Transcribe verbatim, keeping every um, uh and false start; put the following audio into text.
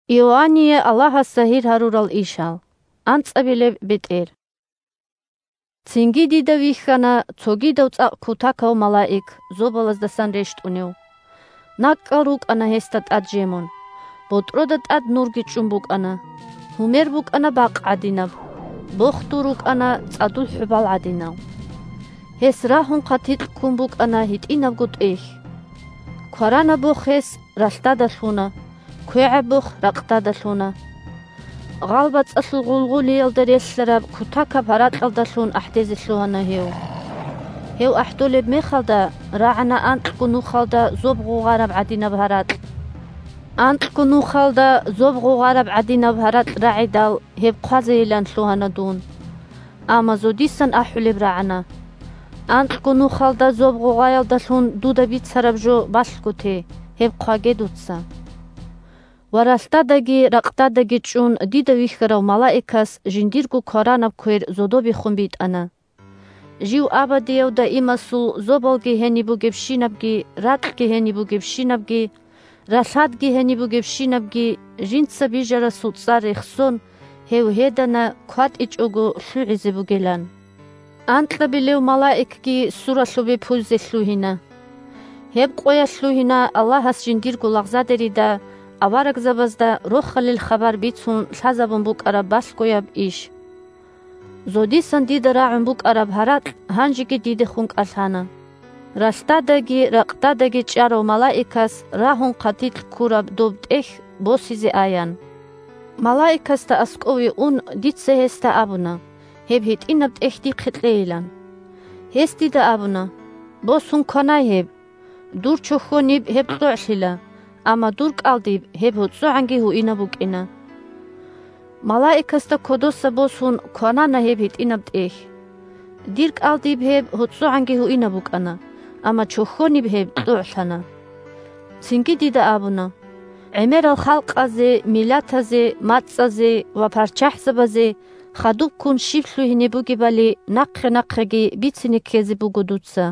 Иоанние Аллагьас загьир гьарурал ишал. АнцӀабилеб бетӀер. Цинги дида вихьана цогидав цӀакъ кутакав малаик зобалаздасан рещтӀунев. НакӀкӀал рукӀана гьесда тӀад жемун. БотӀрода тӀад нурги чӀун букӀана. Гьумер букӀана бакъ гӀадинаб. Бохдул рукӀана цӀадул хӀубал гӀадинал. Гьес рагьун хъатикь ккун букӀана гьитӀинабго тӀехь. Кваранаб бох гьес ралъдада лъуна, квегӀаб бох ракъдада лъуна. ГъалбацӀалъул гъулгъулиялда релълъараб кутакаб гьаракьалдалъун ахӀдезе лъугьана гьев. Гьев ахӀдолеб мехалда рагӀана анкьго нухалда зоб гъугъараб гӀадинаб гьаракь. Анкьго нухалда зоб гъугъараб гӀадинаб гьаракь рагӀидал гьеб хъвазейилан лъугьана дун. Амма зодисан ахӀулеб рагӀана: «Анкьго нухалда зоб гъугъаялдалъун дуда бицараб жо балъго те, гьеб хъваге дуца». Ва ралъдадаги ракъдадаги чӀун дида вихьарав малаикас жиндирго кваранаб квер зодобехун битӀана. Жив абадияв даимасул зобалги гьениб бугебщинабги, ракьги гьениб бугебщинабги, ралъадги гьениб бугебщинабги, жинца бижарасул цӀар рехсон, гьев гьедана кватӀичӀого лъугӀизе бугилан. Анкьабилев малаикги суралъубе пуйзе лъугьина. Гьеб къоялъ лъугьина Аллагьас жиндирго лагъзадерида аварагзабазда Рохалил хабар бицун лъазабун букӀараб балъгояб иш. Зодисан дида рагӀун букӀараб гьаракь гьанжеги дидехун кӀалъана. Ралъдадаги ракъдадаги чӀарав малаикас рагьун хъатикь ккураб доб тӀехь босизе аян. Малаикасда аскӀове ун, дица гьесда абуна: «Гьеб гьитӀинаб тӀехь дихъе кьейилан». Гьес дида абуна: «Босун кванай гьеб. Дур чохьониб гьеб кьогӀлъила, амма дур кӀалдиб гьеб гьоцӀогӀанги гьуинаб букӀина». Малаикасда кодоса босун кванана гьеб гьитӀинаб тӀехь. Дир кӀалдиб гьеб гьоцӀогӀанги гьуинаб букӀана, амма чохьониб гьеб кьогӀлъана. Цинги дида абуна: «ГӀемерал халкъазе, миллатазе, мацӀазе ва парччахӀзабазе хадубккун щиб лъугьине бугебали нахъе-нахъеги бицине ккезе буго дуца».